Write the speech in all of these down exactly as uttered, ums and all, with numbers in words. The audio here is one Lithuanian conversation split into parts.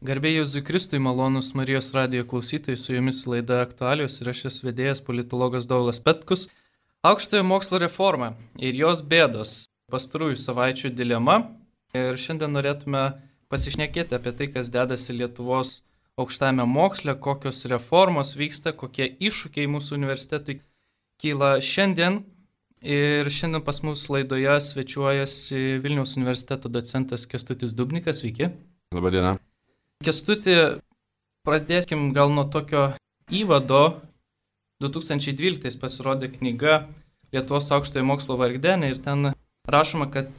Garbė Jėzui Kristui, malonus Marijos radijo klausytojai, su jumis laida Aktualijos ir aš esu vedėjas politologas Dovilas Petkus. Aukštojo mokslo reforma ir jos bėdos, pastarųjų savaičių dilema. Ir šiandien norėtume pasišnekėti apie tai, kas dedasi Lietuvos aukštajame moksle, kokios reformos vyksta, kokie iššūkiai mūsų universitetui kyla šiandien. Ir šiandien pas mus laidoje svečiuojasi Vilniaus universiteto docentas Kęstutis Dubnikas. Sveiki. Labadiena. Kęstuti, pradėkim gal nuo tokio įvado. du tūkstančiai dvyliktais pasirodė knyga Lietuvos aukštojo mokslo vargdienė ir ten rašoma, kad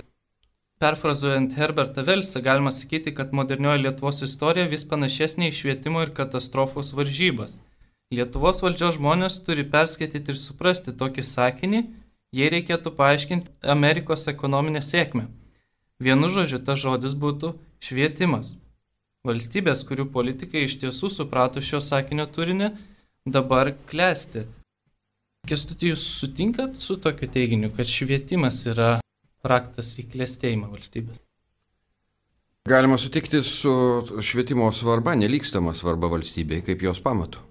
perfrazuojant Herbertą Velsą, galima sakyti, kad modernioji Lietuvos istorija vis panašesnė į švietimo ir katastrofos varžybas. Lietuvos valdžios žmonės turi perskaityti ir suprasti tokį sakinį, jei reikėtų paaiškinti Amerikos ekonominę sėkmę. Vienu žodžiu, tas žodis būtų švietimas. Valstybės, kurių politikai iš tiesų suprato šio sakinio turinį, dabar klesti. Kęstuti, jūs sutinkat su tokiu teiginiu, kad švietimas yra raktas į klestėjimą valstybės? Galima sutikti su švietimo svarba, nelygstama svarba valstybei, kaip jos pamatu.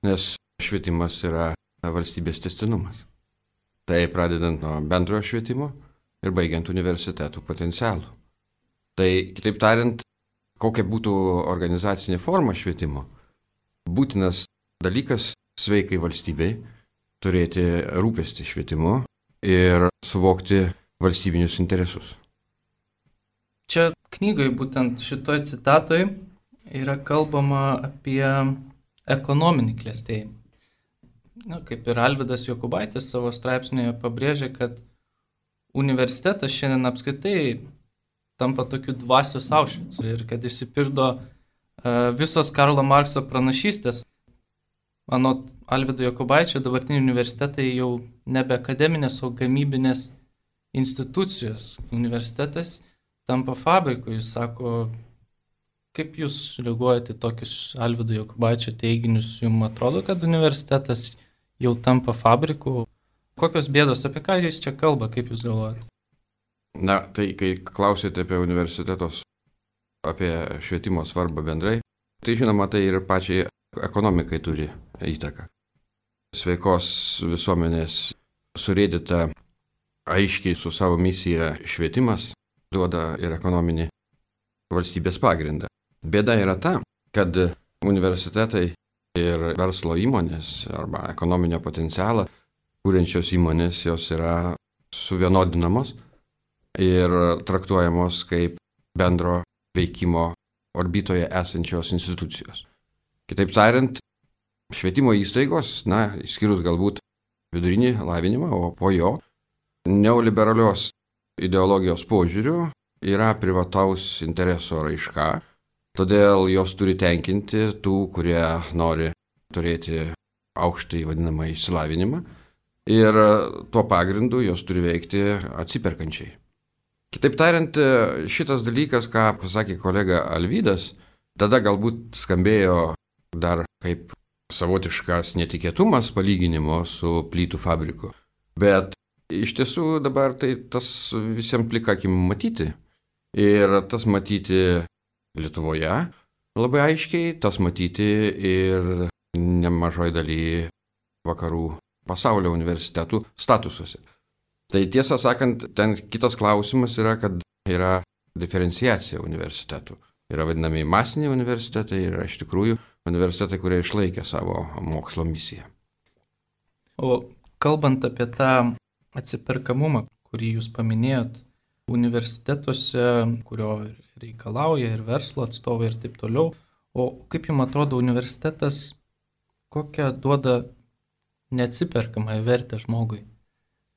Nes švietimas yra valstybės tęstinumas. Tai pradedant nuo bendrojo švietimo ir baigiant universitetų potencialų. Tai, kitaip tariant, kokia būtų organizacinė forma švietimo, būtinas dalykas sveikai valstybei turėti rūpestį švietimu ir suvokti valstybinius interesus. Čia knygoje, būtent šitoj citatoj, yra kalbama apie ekonominį klestėjimą. Na, kaip ir Alvydas Jokubaitis savo straipsnėje pabrėžė, kad universitetas šiandien apskritai tampa tokiu dvasios Aušvicu ir kad išsipirdo uh, visos Karlo Markso pranašystės. Anot Alvydo Jokubaičio, dabartiniai universitetai jau nebe akademinės, o gamybinės institucijos. Universitetas tampa fabriku. Jis sako, kaip jūs reaguojate į tokius Alvydo Jokubaičio teiginius? Jums atrodo, kad universitetas jau tampa fabriku? Kokios bėdos, apie ką jis čia kalba, kaip jūs galvojate? Na, tai kai klausėte apie universitetos, apie švietimo svarbą bendrai, tai žinoma, tai ir pačiai ekonomikai turi įtaką. Sveikos visuomenės surėdyta aiškiai su savo misija švietimas duoda ir ekonominį valstybės pagrindą. Bėda yra ta, kad universitetai ir verslo įmonės arba ekonominio potencialą kūrenčios įmonės, jos yra suvienodinamos ir traktuojamos kaip bendro veikimo orbitoje esančios institucijos. Kitaip tariant, švietimo įstaigos, na, išskyrus galbūt vidurinį lavinimą, o po jo neoliberalios ideologijos požiūrių yra privataus intereso raiška, todėl jos turi tenkinti tų, kurie nori turėti aukštąjį vadinamą išsilavinimą ir tuo pagrindu jos turi veikti atsiperkančiai. Kitaip tariant, šitas dalykas, ką pasakė kolega Alvydas, tada galbūt skambėjo dar kaip savotiškas netikėtumas palyginimo su plytų fabriku. Bet iš tiesų dabar tai tas visiems plika akim matyti. Ir tas matyti Lietuvoje labai aiškiai, tas matyti ir nemažoj daly vakarų pasaulio universitetų statusuose. Tai tiesą sakant, ten kitas klausimas yra, kad yra diferenciacija universitetų. Yra vadinami masiniai universitetai ir yra iš tikrųjų universitetai, kurie išlaikė savo mokslo misiją. O kalbant apie tą atsiperkamumą, kurį jūs paminėjot, universitetuose, kurio reikalauja ir verslo atstovai ir taip toliau, o kaip jums atrodo universitetas, kokią duoda neatsiperkamąją vertę žmogui?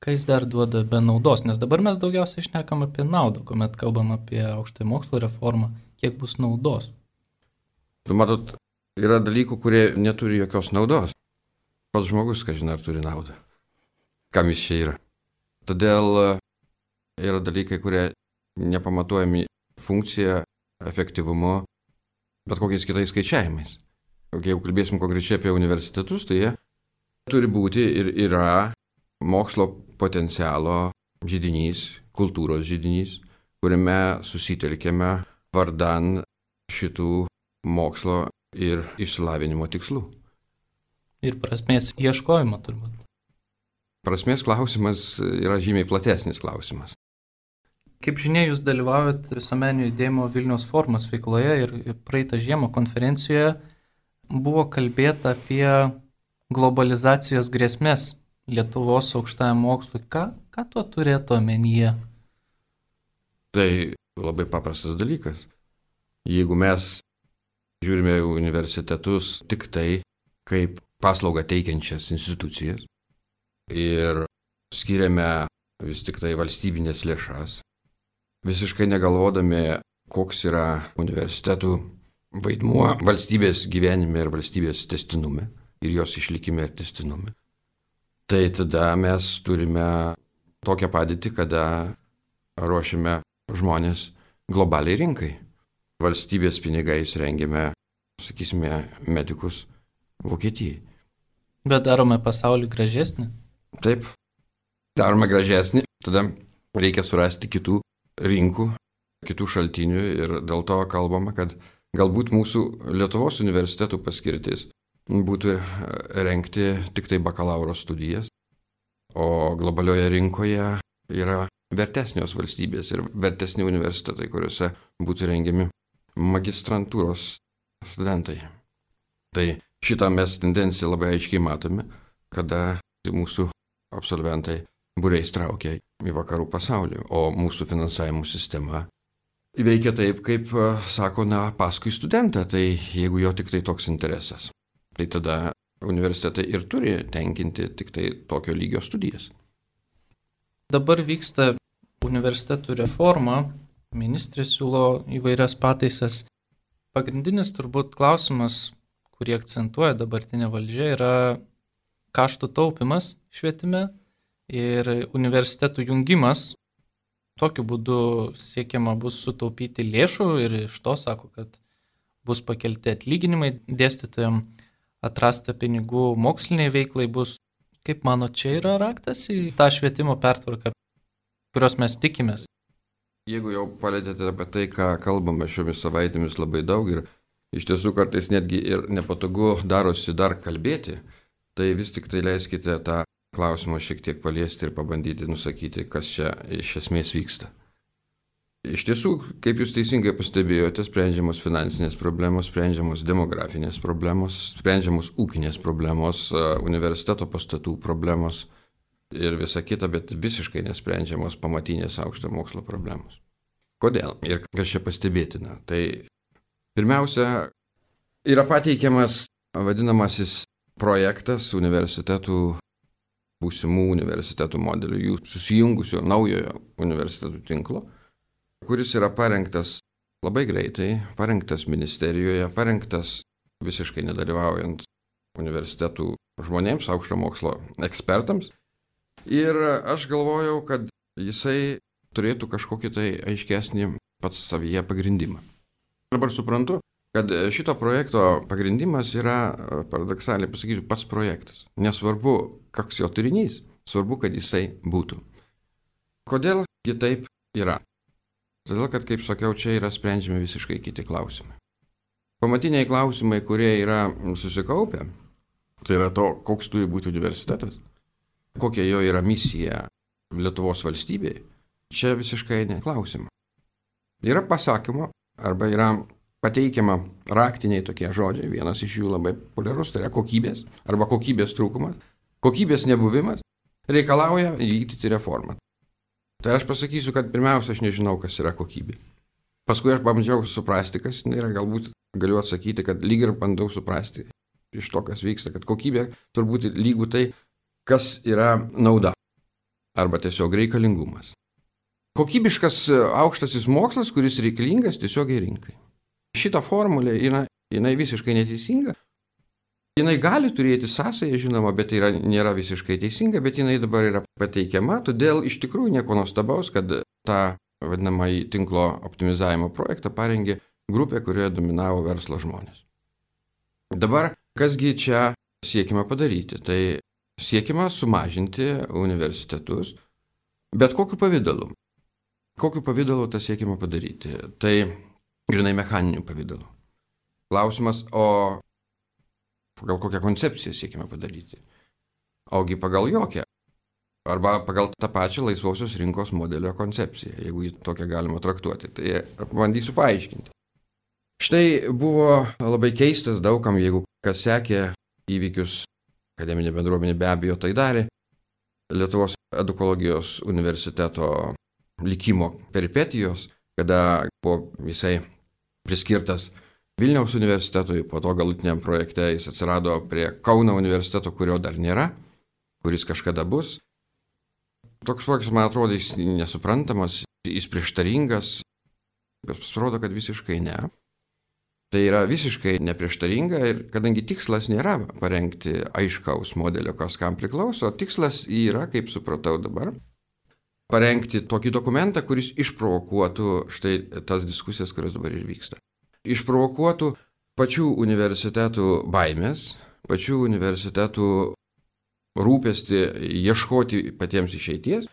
Ką jis dar duoda be naudos? Nes dabar mes daugiausiai šnekam apie naudą, kuomet kalbam apie aukštojo mokslo reformą, kiek bus naudos. Tu matot, yra dalykų, kurie neturi jokios naudos. Pats žmogus, kažin ar turi naudą. Kam jis čia yra? Todėl yra dalykai, kurie nepamatuojami funkcija, efektyvumu, bet kokiais kitais skaičiavimais. Jeigu kalbėsim konkrečiai apie universitetus, tai jie turi būti ir yra mokslo potencialo židinys, kultūros židinys, kuriame susitelkėme vardan šitų mokslo ir išsilavinimo tikslų. Ir prasmės ieškojimo turbūt. Prasmės klausimas yra žymiai platesnis klausimas. Kaip žinia, jūs dalyvaujat visuomeninio judėjimo Vilniaus forumas veikloje ir praeitą žiemą konferencijoje buvo kalbėta apie globalizacijos grėsmės Lietuvos aukštajam mokslui. Ką, ką tuo turėtų omenyje? Tai labai paprastas dalykas. Jeigu mes žiūrime į universitetus tik tai kaip paslaugą teikiančias institucijas ir skiriame vis tik tai valstybinės lėšas, visiškai negalvodami, koks yra universitetų vaidmuo valstybės gyvenime ir valstybės tęstinume ir jos išlikime ir tęstinume, tai tada mes turime tokią padėtį, kada ruošiame žmonės globaliai rinkai. Valstybės pinigais rengiame, sakysime, medikus Vokietijai. Bet darome pasaulį gražesnį? Taip, darome gražesnį, tada reikia surasti kitų rinkų, kitų šaltinių ir dėl to kalbama, kad galbūt mūsų Lietuvos universitetų paskirtis būtų rengti tik tai bakalauro studijas, o globalioje rinkoje yra vertesnios valstybės ir vertesni universitetai, kuriuose būtų rengiami magistrantūros studentai. Tai šitą mes tendenciją labai aiškiai matome, kada mūsų absolventai būriais traukia į vakarų pasaulį, o mūsų finansavimo sistema veikia taip, kaip sako, na, paskui studentą, tai jeigu jo tik tai toks interesas, tai tada universitetai ir turi tenkinti tik tai tokio lygio studijas. Dabar vyksta universitetų reforma, ministrė siūlo įvairias pataisas. Pagrindinis turbūt klausimas, kurį akcentuoja dabartinė valdžia, yra kaštų taupimas švietime ir universitetų jungimas. Tokiu būdu siekiama bus sutaupyti lėšų ir iš to sako, kad bus pakelti atlyginimai dėstytojams, atrasta pinigų moksliniai veiklai bus. Kaip mano, čia yra raktas į tą švietimo pertvarką, kurios mes tikimės? Jeigu jau palėtėte apie tai, ką kalbame šiomis savaitėmis labai daug ir iš tiesų kartais netgi ir nepatogu darosi dar kalbėti, tai vis tik tai leiskite tą klausimą šiek tiek paliesti ir pabandyti nusakyti, kas čia iš esmės vyksta. Iš tiesų, kaip jūs teisingai pastebėjote, sprendžiamos finansinės problemos, sprendžiamos demografinės problemos, sprendžiamos ūkinės problemos, universiteto pastatų problemos ir visa kita, bet visiškai nesprendžiamos pamatinės aukšto mokslo problemos. Kodėl? Ir kas čia pastebėtina? Tai pirmiausia, yra pateikiamas vadinamasis projektas universitetų, būsimų universitetų modelių, jų susijungusio naujojo universitetų tinklo, kuris yra parengtas labai greitai, parengtas ministerijoje, parengtas visiškai nedalyvaujant universitetų žmonėms, aukšto mokslo ekspertams. Ir aš galvojau, kad jisai turėtų kažkokį tai aiškesnį pats savyje pagrindimą. Dabar suprantu, kad šito projekto pagrindimas yra, paradoksaliai pasakysiu, pats projektas. Nesvarbu, koks jo turinys, svarbu, kad jisai būtų. Kodėl ji taip yra? Todėl, kad, kaip sakiau, čia yra sprendžiami visiškai kiti klausimai. Pamatiniai klausimai, kurie yra susikaupę, tai yra to, koks turi būti universitetas, kokia jo yra misija Lietuvos valstybėje, čia visiškai neklausima. Yra pasakymo, arba yra pateikiama raktiniai tokie žodžiai, vienas iš jų labai populiarus, tai yra kokybės, arba kokybės trūkumas. Kokybės nebuvimas reikalauja vykdyti reformą. Tai aš pasakysiu, kad pirmiausia, aš nežinau, kas yra kokybė. Paskui aš pabandžiau suprasti, kas yra, galbūt galiu atsakyti, kad lyg ir bandau suprasti iš to, kas vyksta, kad kokybė turbūt lygų tai, kas yra nauda, arba tiesiog reikalingumas. Kokybiškas aukštasis mokslas, kuris reikalingas tiesiogiai rinkai. Šita formulė yra, jinai visiškai neteisinga. Jinai gali turėti sąsąją, žinoma, bet tai yra, nėra visiškai teisinga, bet jinai dabar yra pateikiama, todėl iš tikrųjų nieko nuostabaus, kad tą vadinamąjį tinklo optimizavimo projektą parengė grupė, kurioje dominavo verslo žmonės. Dabar, kasgi čia siekima padaryti? Tai siekima sumažinti universitetus, bet kokiu pavydalu. Kokiu pavydalu tą siekima padaryti? Tai grinai mechaniniu pavydalu. Klausimas, o pagal kokią koncepciją siekime padaryti? Ogi pagal jokią. Arba pagal tą pačią laisvosios rinkos modelio koncepciją, jeigu jį tokią galima traktuoti. Tai bandysiu paaiškinti. Štai buvo labai keistas daugam, jeigu kas sekė įvykius, akademinė bendruomenė be abejo tai darė, Lietuvos edukologijos universiteto likimo peripetijos, kada buvo visai priskirtas Vilniaus universitetui, po to galutiniam projekte jis atsirado prie Kauno universiteto, kurio dar nėra, kuris kažkada bus. Toks projektas, man atrodo, jis nesuprantamas, jis prieštaringas, bet pasirodo, kad visiškai ne. Tai yra visiškai neprieštaringa ir kadangi tikslas nėra parengti aiškaus modelio, kas kam priklauso, tikslas yra, kaip supratau dabar, parengti tokį dokumentą, kuris išprovokuotų štai tas diskusijas, kurios dabar ir vyksta. Išprovokuotų pačių universitetų baimės, pačių universitetų rūpestį ieškoti patiems išeities.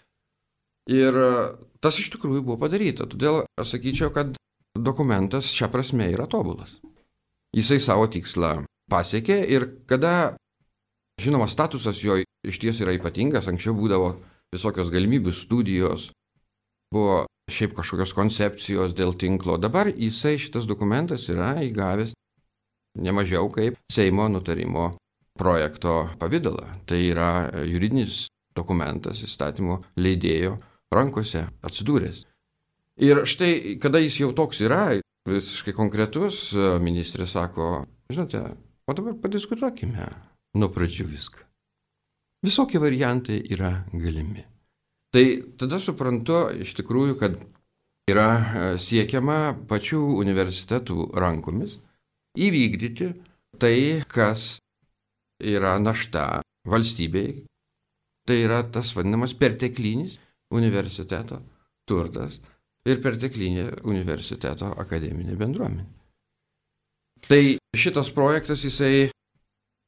Ir tas iš tikrųjų buvo padaryta. Todėl aš sakyčiau, kad dokumentas šią prasme yra tobulas. Jisai savo tikslą pasiekė ir kada, žinoma, statusas jo iš ties yra ypatingas, anksčiau būdavo visokios galimybių studijos, buvo šiaip kažkokios koncepcijos dėl tinklo. Dabar jisai šitas dokumentas yra įgavęs nemažiau kaip Seimo nutarimo projekto pavidalą. Tai yra juridinis dokumentas įstatymo leidėjo rankose atsidūręs. Ir štai, kada jis jau toks yra, visiškai konkretus, ministrė sako, žinote, o dabar padiskutuokime nuo pradžių viską. Visokie variantai yra galimi. Tai tada suprantu iš tikrųjų, kad yra siekiama pačių universitetų rankomis įvykdyti tai, kas yra našta valstybei. Tai yra tas vadinamas perteklinis universiteto turtas ir perteklinė universiteto akademinė bendruomenė. Tai šitas projektas, jisai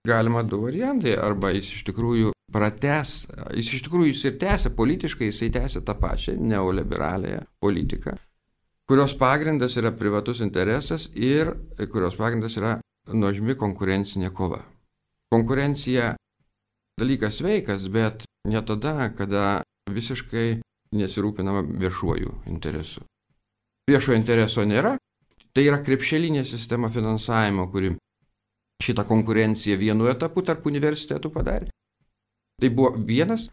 galima du variantai, arba jis iš tikrųjų pratęs, jis iš tikrųjų jis ir tęsia politiškai, jisai tęsia tą pačią neoliberaliąją politiką, kurios pagrindas yra privatus interesas ir kurios pagrindas yra nuožmi konkurencinė kova. Konkurencija dalykas sveikas, bet ne tada, kada visiškai nesirūpinama viešuoju interesu. Viešojo intereso nėra, tai yra krepšelinė sistema finansavimo, kuri šitą konkurenciją vienu etapu tarp universitetų padarė. Tai buvo vienas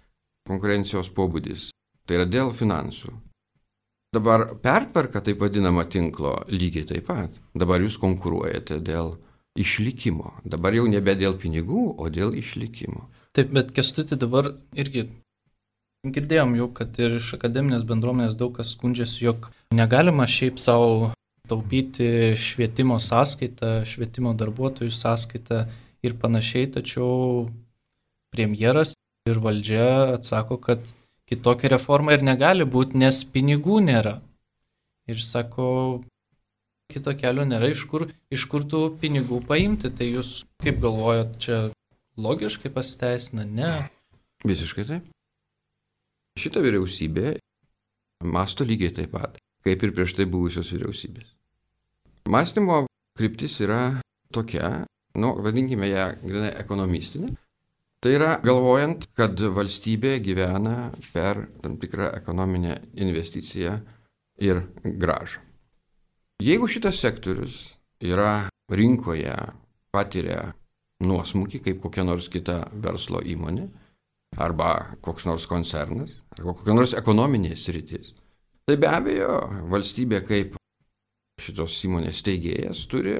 konkurencijos pobūdis, tai yra dėl finansų. Dabar pertvarka, taip vadinama tinklo, lygiai taip pat. Dabar jūs konkuruojate dėl išlikimo. Dabar jau nebe dėl pinigų, o dėl išlikimo. Taip, bet Kęstuti dabar irgi girdėjom jau, kad ir iš akademinės bendruomenės daug kas skundžiasi, jog negalima šiaip savo taupyti švietimo sąskaitą, švietimo darbuotojų sąskaitą ir panašiai, tačiau premjeras ir valdžia atsako, kad kitokia reforma ir negali būti, nes pinigų nėra. Ir sako, kito kelio nėra, iš kur, iš kur tų pinigų paimti. Tai jūs kaip galvojat, čia logiškai pasiteisina? Ne. Visiškai taip. Šita vyriausybė mąsto lygiai taip pat, kaip ir prieš tai buvusios vyriausybės. Mąstymo kryptis yra tokia, nu, vadinkime ją grinai ekonomistinė. Tai yra galvojant, kad valstybė gyvena per tam tikrą ekonominę investiciją ir grąžą. Jeigu šitas sektorius yra rinkoje, patiria nuosmukį kaip kokia nors kita verslo įmonė, arba koks nors koncernas, arba kokia nors ekonominė sritis, tai be abejo valstybė kaip šitos įmonės steigėjas turi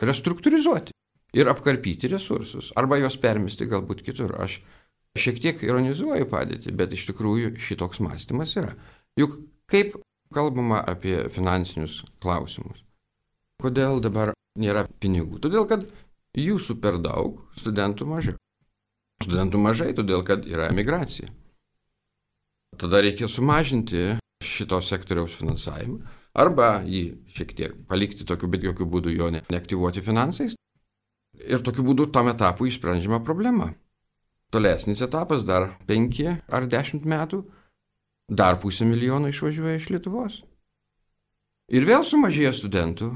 restruktūrizuoti ir apkarpyti resursus, arba juos permesti galbūt kitur. Aš šiek tiek ironizuoju padėtį, bet iš tikrųjų šitoks mąstymas yra. Juk kaip kalbama apie finansinius klausimus? Kodėl dabar nėra pinigų? Todėl, kad jūsų per daug, studentų mažiau. Studentų mažai, todėl kad yra emigracija. Tada reikia sumažinti šito sektoriaus finansavimą, arba jį šiek tiek palikti tokiu, bet jokių būdų jo ne, neaktyvuoti finansais. Ir tokiu būdu tam etapui išsprendžiama problema. Tolesnis etapas dar penki ar dešimt metų, dar pusę milijono išvažiuoja iš Lietuvos. Ir vėl sumažėjo studentų.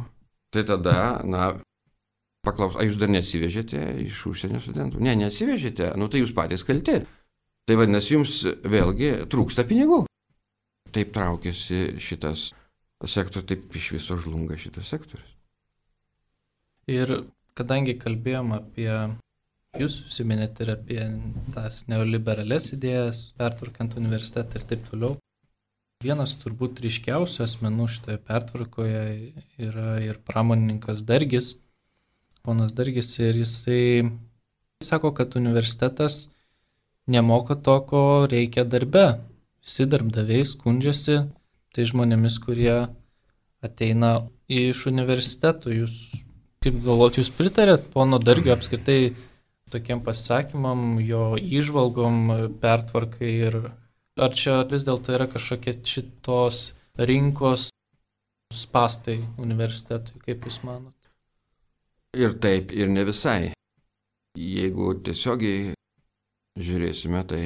Tai tada, na, paklaus, ar jūs dar neatsivežėte iš užsienio studentų? Ne, neatsivežėte, nu tai jūs patys kalti. Tai vadinasi, jums vėlgi trūksta pinigų. Taip traukiasi šitas sektorius, taip iš viso žlunga šitas sektorius. Ir kadangi kalbėjom apie, jūs užsiminėte ir apie tas neoliberales idėjas, pertvarkant universitetą ir taip toliau, vienas turbūt ryškiausių asmenų šitoje pertvarkoje yra ir pramonininkas Dargis, ponas Dargis, ir jisai sako, kad universitetas nemoka to, ko reikia darbe. Visi darbdaviai skundžiasi tai žmonėmis, kurie ateina iš universitetų. Jūs, kaip galvot, jūs pritarėt pono Dargio apskritai tokiem pasisakymam, jo įžvalgom, pertvarkai, ir ar čia vis dėlto yra kažkokie šitos rinkos spastai universitetui, kaip jūs manot? Ir taip, ir ne visai. Jeigu tiesiogiai žiūrėsime, tai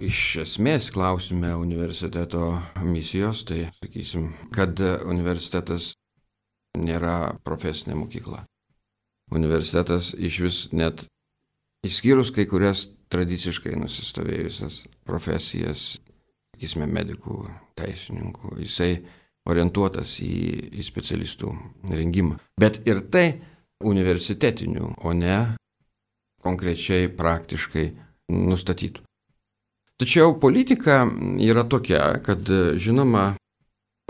iš esmės klausime universiteto misijos, tai sakysim, kad universitetas nėra profesinė mokykla. Universitetas iš vis net išskyrus kai kurias tradiciškai nusistovėjusias profesijas, sakysime, medikų, teisininkų, jisai orientuotas į, į specialistų rengimą. Bet ir tai universitetinių, o ne konkrečiai praktiškai nustatytų. Tačiau politika yra tokia, kad žinoma,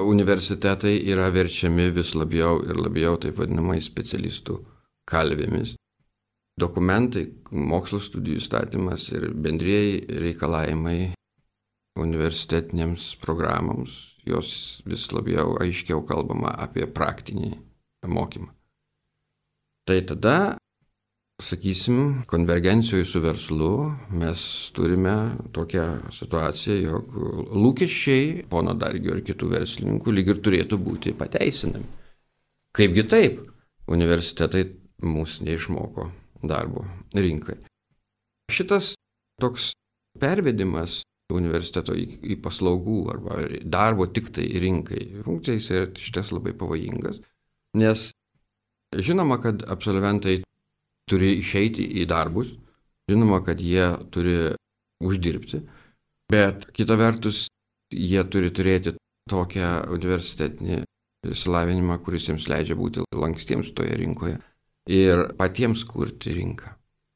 universitetai yra verčiami vis labiau ir labiau taip vadinamai specialistų kalvėmis. Dokumentai, mokslo studijų įstatymas ir bendrieji reikalavimai universitetinėms programoms, jos vis labiau aiškiau kalbama apie praktinį mokymą. Tai tada, sakysim, konvergencijoje su verslu mes turime tokią situaciją, jog lūkesčiai pono Dargio ir kitų verslininkų lyg ir turėtų būti pateisinami. Kaipgi taip? Universitetai mūsų neišmoko darbo rinkai. Šitas toks pervedimas universiteto į, į paslaugų arba darbo tik tai rinkai funkcijas yra šitas labai pavojingas, nes žinoma, kad absolventai turi išeiti į darbus, žinoma, kad jie turi uždirbti, bet kita vertus jie turi turėti tokią universitetinį išsilavinimą, kuris jiems leidžia būti lankstiems toje rinkoje ir patiems kurti rinką.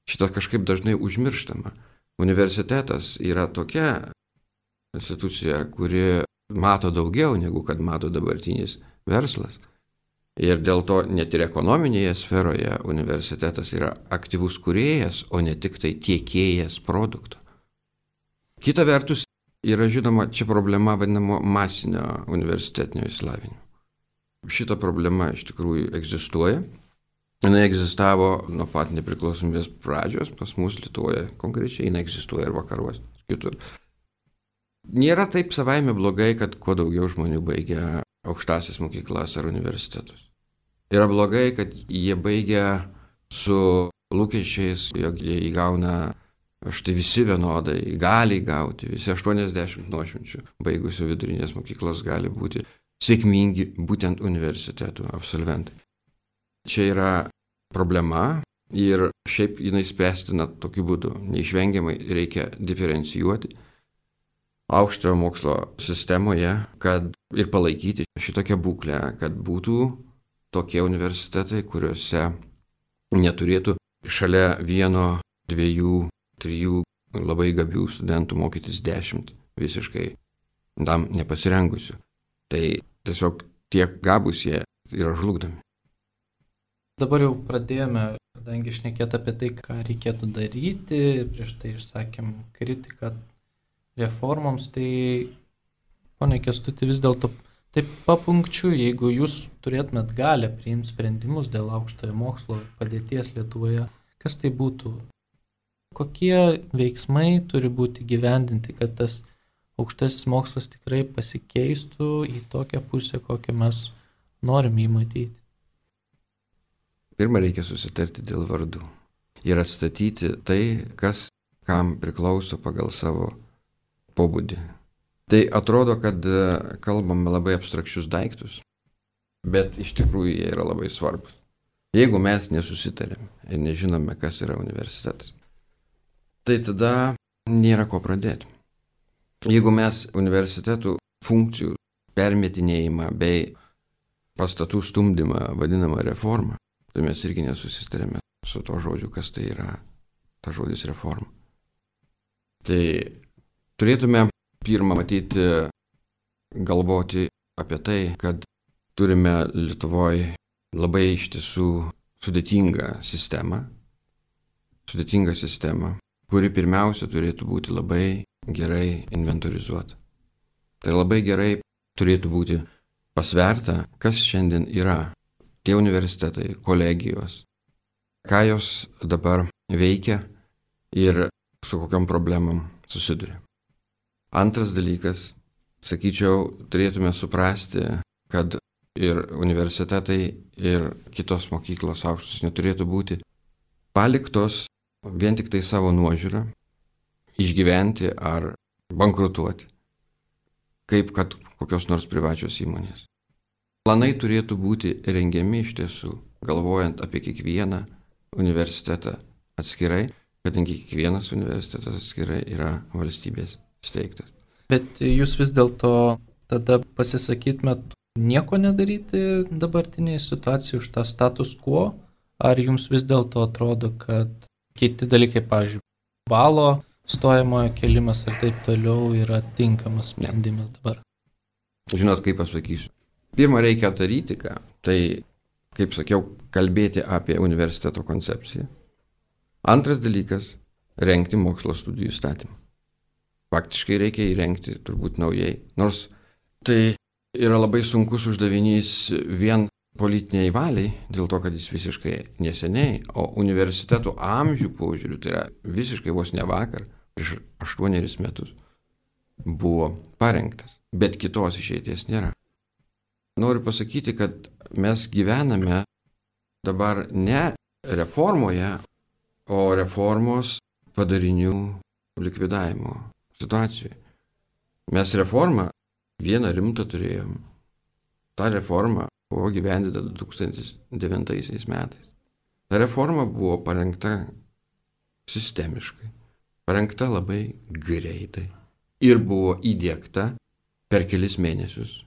Šitą kažkaip dažnai užmirštama. Universitetas yra tokia institucija, kuri mato daugiau negu kad mato dabartinis verslas. Ir dėl to net ir ekonominėje sferoje universitetas yra aktyvus kūrėjas, o ne tik tai tiekėjas produkto. Kita vertus yra žinoma čia problema vadinamo masinio universitetinio išsilavinimo. Šita problema iš tikrųjų egzistuoja. Jis egzistavo nuo pat nepriklausomybės pradžios, pas mus Lietuvoje konkrečiai, jis egzistuoja ir vakaruose, kitur. Nėra taip savaime blogai, kad kuo daugiau žmonių baigia aukštąsias mokyklas ar universitetus. Yra blogai, kad jie baigia su lūkesčiais, jog jie įgauna, štai visi vienodai, gali įgauti, visi aštuoniasdešimt nuošimčių baigusių vidurinės mokyklos gali būti sėkmingi būtent universitetų absolventai. Čia yra problema ir šiaip jinai spręstina tokiu būdu. Neišvengiamai reikia diferencijuoti aukštojo mokslo sistemoje, kad ir palaikyti šitokią būklę, kad būtų tokie universitetai, kuriuose neturėtų šalia vieno, dviejų, trijų labai gabių studentų mokytis dešimt visiškai tam nepasirengusių. Tai tiesiog tiek gabūs jie yra žlugdomi. Dabar jau pradėjome, kadangi šnekėt apie tai, ką reikėtų daryti, prieš tai išsakėm kritiką reformoms, tai, pone Kęstuti, vis dėlto taip papunkčiu, jeigu jūs turėtumėt galę priimti sprendimus dėl aukštojo mokslo padėties Lietuvoje, kas tai būtų? Kokie veiksmai turi būti gyvendinti, kad tas aukštasis mokslas tikrai pasikeistų į tokią pusę, kokią mes norim jį matyti? Pirma, reikia susitarti dėl vardų ir atstatyti tai, kas kam priklauso pagal savo pobūdį. Tai atrodo, kad kalbame labai abstrakčius daiktus, bet iš tikrųjų jie yra labai svarbus. Jeigu mes nesusitarėm ir nežinome, kas yra universitetas, tai tada nėra ko pradėti. Jeigu mes universitetų funkcijų permetinėjimą bei pastatų stumdymą vadinamą reformą, tai mes irgi nesusitarėme su to žodžiu, kas tai yra ta žodis reforma. Tai turėtume pirmą matyti, galvoti apie tai, kad turime Lietuvoje labai iš tiesų sudėtingą sistemą, sudėtingą sistemą, kuri pirmiausia turėtų būti labai gerai inventorizuota. Tai labai gerai turėtų būti pasverta, kas šiandien yra tie universitetai, kolegijos, ką jos dabar veikia ir su kokiam problemam susiduria. Antras dalykas, sakyčiau, turėtume suprasti, kad ir universitetai, ir kitos mokyklos aukštos neturėtų būti paliktos vien tik tai savo nuožiūrą, išgyventi ar bankrutuoti, kaip kad kokios nors privačios įmonės. Planai turėtų būti rengiami iš tiesų, galvojant apie kiekvieną universitetą atskirai, kadangi kiekvienas universitetas atskirai yra valstybės steigtas. Bet jūs vis dėlto tada pasisakytumėt nieko nedaryti dabartinėje situacijoje už tą status quo, ar jums vis dėlto atrodo, kad kiti dalykai, pavyzdžiui, balo stojamojo kelimas ar taip toliau yra tinkamas sprendimas dabar? Žinot, kaip pasakysiu. Pirma, reikia daryti ką. Tai, kaip sakiau, kalbėti apie universiteto koncepciją. Antras dalykas – rengti mokslo studijų įstatymą. Faktiškai reikia įrengti turbūt naujai. Nors tai yra labai sunkus uždavinys vien politiniai valiai, dėl to, kad jis visiškai neseniai, o universitetų amžių požiūrių, tai yra visiškai vos ne vakar, prieš aštuonerius metus, buvo parengtas, bet kitos išeities nėra. Noriu pasakyti, kad mes gyvename dabar ne reformoje, o reformos padarinių likvidavimo situacijoje. Mes reformą vieną rimtą turėjom. Ta reforma buvo gyvendinta du tūkstančiai devintaisiais metais. Ta reforma buvo parengta sistemiškai, parengta labai greitai ir buvo įdiegta per kelis mėnesius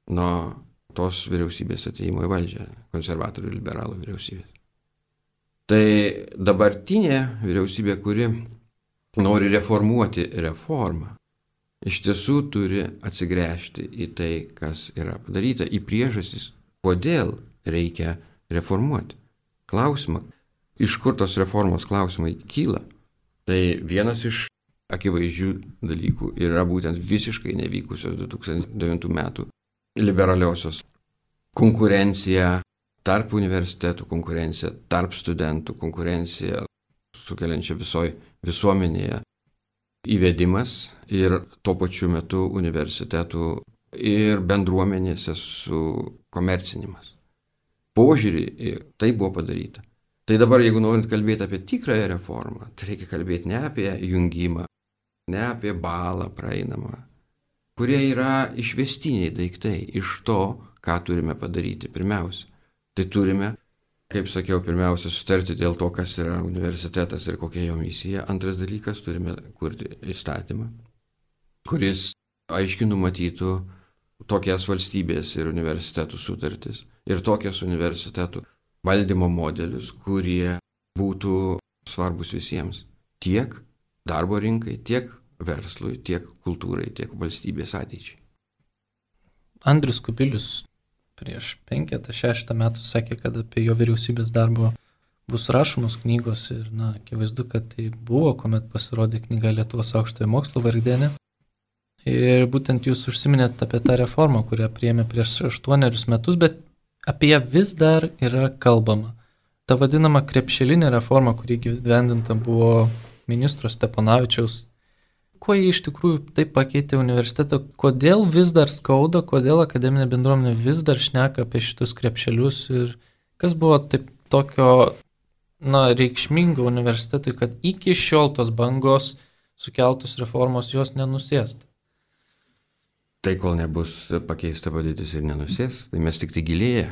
nuo tos vyriausybės atėjimo į valdžią, konservatorių ir liberalų vyriausybės. Tai dabartinė vyriausybė, kuri nori reformuoti reformą, iš tiesų turi atsigręžti į tai, kas yra padaryta, į priežastis, kodėl reikia reformuoti. Klausimą, iš kur tos reformos klausimai kyla, tai vienas iš akivaizdžių dalykų yra būtent visiškai nevykusios du tūkstančiai devintų metų liberaliosios konkurencija tarp universitetų, konkurencija tarp studentų, konkurencija sukeliančia visoje visuomenėje įvedimas ir tuo pačiu metu universitetų ir bendruomenėse su komercinimas. Požiūrį tai buvo padaryta. Tai dabar, jeigu norint kalbėti apie tikrąją reformą, tai reikia kalbėti ne apie jungimą, ne apie balą praeinamą, kurie yra išvestiniai daiktai iš to, ką turime padaryti pirmiausia. Tai turime, kaip sakiau, pirmiausia sutarti dėl to, kas yra universitetas ir kokia jo misija. Antras dalykas, turime kurti įstatymą, kuris aiškiai numatytų tokias valstybės ir universitetų sutartis ir tokias universitetų valdymo modelius, kurie būtų svarbus visiems. Tiek darbo rinkai, tiek verslui, tiek kultūrai, tiek valstybės ateičiai. Andrius Kubilius prieš penketą, šeštą metų sakė, kad apie jo vyriausybės darbo bus rašomos knygos ir, na, akivaizdu, kad tai buvo, kuomet pasirodė knyga Lietuvos aukštojo mokslo vargdienė. Ir būtent jūs užsiminėt apie tą reformą, kurią priėmė prieš aštuonerius metus, bet apie ją vis dar yra kalbama. Ta vadinama krepšelinė reforma, kuri gyvendinta buvo ministro Steponavičiaus. Kuo jie iš tikrųjų taip pakeitė universitetą, kodėl vis dar skauda, kodėl akademinė bendruomenė vis dar šneka apie šitus krepšelius ir kas buvo taip tokio, na, reikšmingo universitetui, kad iki šiol tos bangos sukeltos reformos jos nenusėsta. tai kol nebus pakeista padėtis ir nenusės, tai mes tik tai gilėja.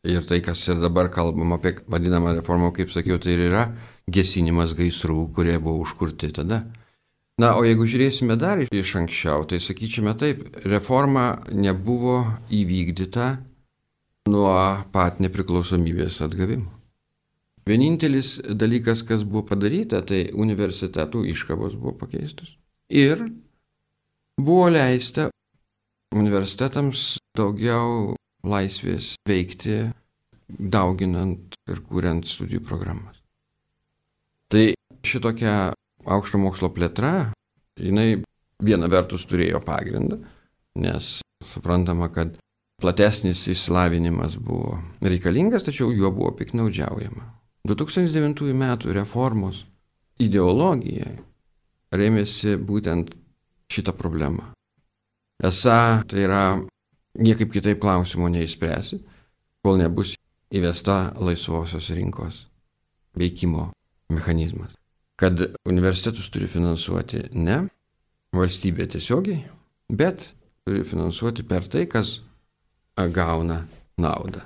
Ir tai, kas ir dabar kalbam apie vadinamą reformą, kaip sakiau, tai ir yra gesinimas gaisrų, kurie buvo užkurti tada. Na, o jeigu žiūrėsime dar iš anksčiau, tai sakyčiame taip, reforma nebuvo įvykdyta nuo pat nepriklausomybės atgavimo. Vienintelis dalykas, kas buvo padaryta, tai universitetų iškabos buvo pakeistos. Ir buvo leista universitetams daugiau laisvės veikti, dauginant ir kuriant studijų programas. Tai šitokia aukšto mokslo plėtra, jinai viena vertus turėjo pagrindą, nes suprantama, kad platesnis išsilavinimas buvo reikalingas, tačiau juo buvo piknaudžiaujama. du tūkstantis devintųjų metų reformos ideologija rėmėsi būtent šitą problemą. Esą tai yra niekaip kitaip klausimo neišspręsi, kol nebus įvesta laisvosios rinkos veikimo mechanizmas. Kad universitetus turi finansuoti ne valstybė tiesiogiai, bet turi finansuoti per tai, kas gauna naudą.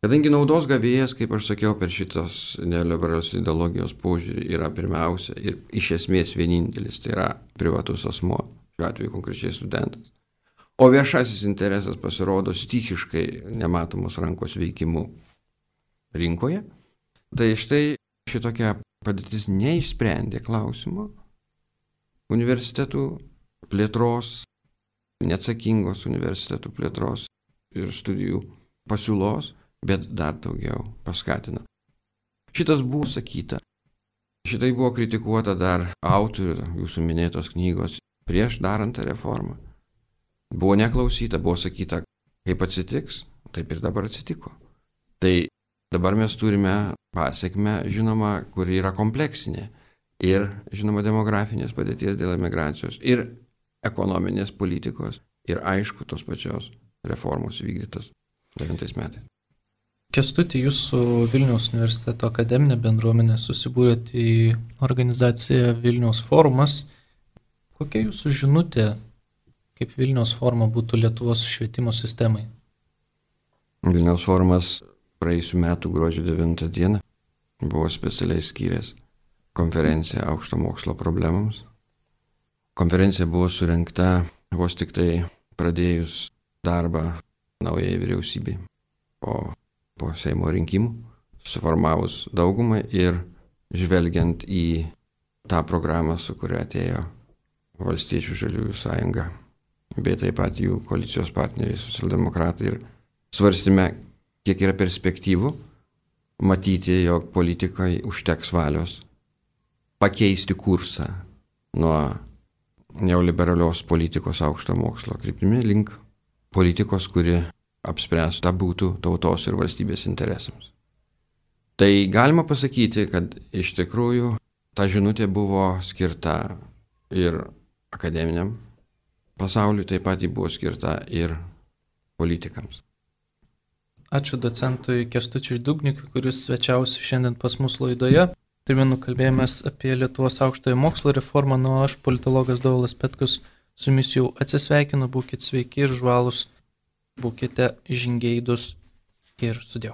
Kadangi naudos gavėjas, kaip aš sakiau, per šitos neoliberalios ideologijos požiūrį yra pirmiausia ir iš esmės vienintelis, tai yra privatus asmuo, šiuo atveju konkrečiai studentas. O viešasis interesas pasirodo stichiškai nematomos rankos veikimu rinkoje. Tai štai šitokia padėtis neišsprendė klausimo universitetų plėtros, neatsakingos universitetų plėtros ir studijų pasiūlos, bet dar daugiau paskatino. Šitas buvo sakyta. Šitai buvo kritikuota dar autorių, jūsų minėtos knygos, prieš darant tą reformą. Buvo neklausyta, buvo sakyta, kaip atsitiks, taip ir dabar atsitiko. Tai dabar mes turime pasiekmę, žinoma, kuri yra kompleksinė. Ir, žinoma, demografinės padėties dėl emigracijos, ir ekonominės politikos, ir aišku, tos pačios reformos vykdytos devintais metais. Kęstuti, jūs su Vilniaus universiteto akademinė bendruomenė susibūrėt į organizaciją Vilniaus forumas. Kokia jūsų žinutė, kaip Vilniaus foruma būtų Lietuvos švietimo sistemai? Vilniaus forumas praėjusiu metu gruodžio devintą dieną buvo specialiai skyręs konferenciją aukšto mokslo problemams. Konferencija buvo surengta vos tik tai pradėjus darbą naujai vyriausybei po po Seimo rinkimų, suformavus daugumą ir žvelgiant į tą programą, su kuria atėjo Valstiečių žaliųjų sąjunga, bei taip pat jų koalicijos partneriai socialdemokratai, ir svarstėme, kiek yra perspektyvų matyti, jog politikai užteks valios pakeisti kursą nuo neoliberalios politikos aukšto mokslo kryptimi link politikos, kuri apspręsta būtų tautos ir valstybės interesams. Tai galima pasakyti, kad iš tikrųjų ta žinutė buvo skirta ir akademiniam pasauliui, taip pat ji buvo skirta ir politikams. Ačiū docentui Kęstučiui Dugnikui, kuris svečiausi šiandien pas mus laidoje. Primenu, kalbėjomės apie Lietuvos aukštojo mokslo reformą, nuo aš, politologas Dovilas Petkus, su jumis jau atsisveikinu, būkite sveiki ir žvalūs. Būkite žingeidus ir sudėjau.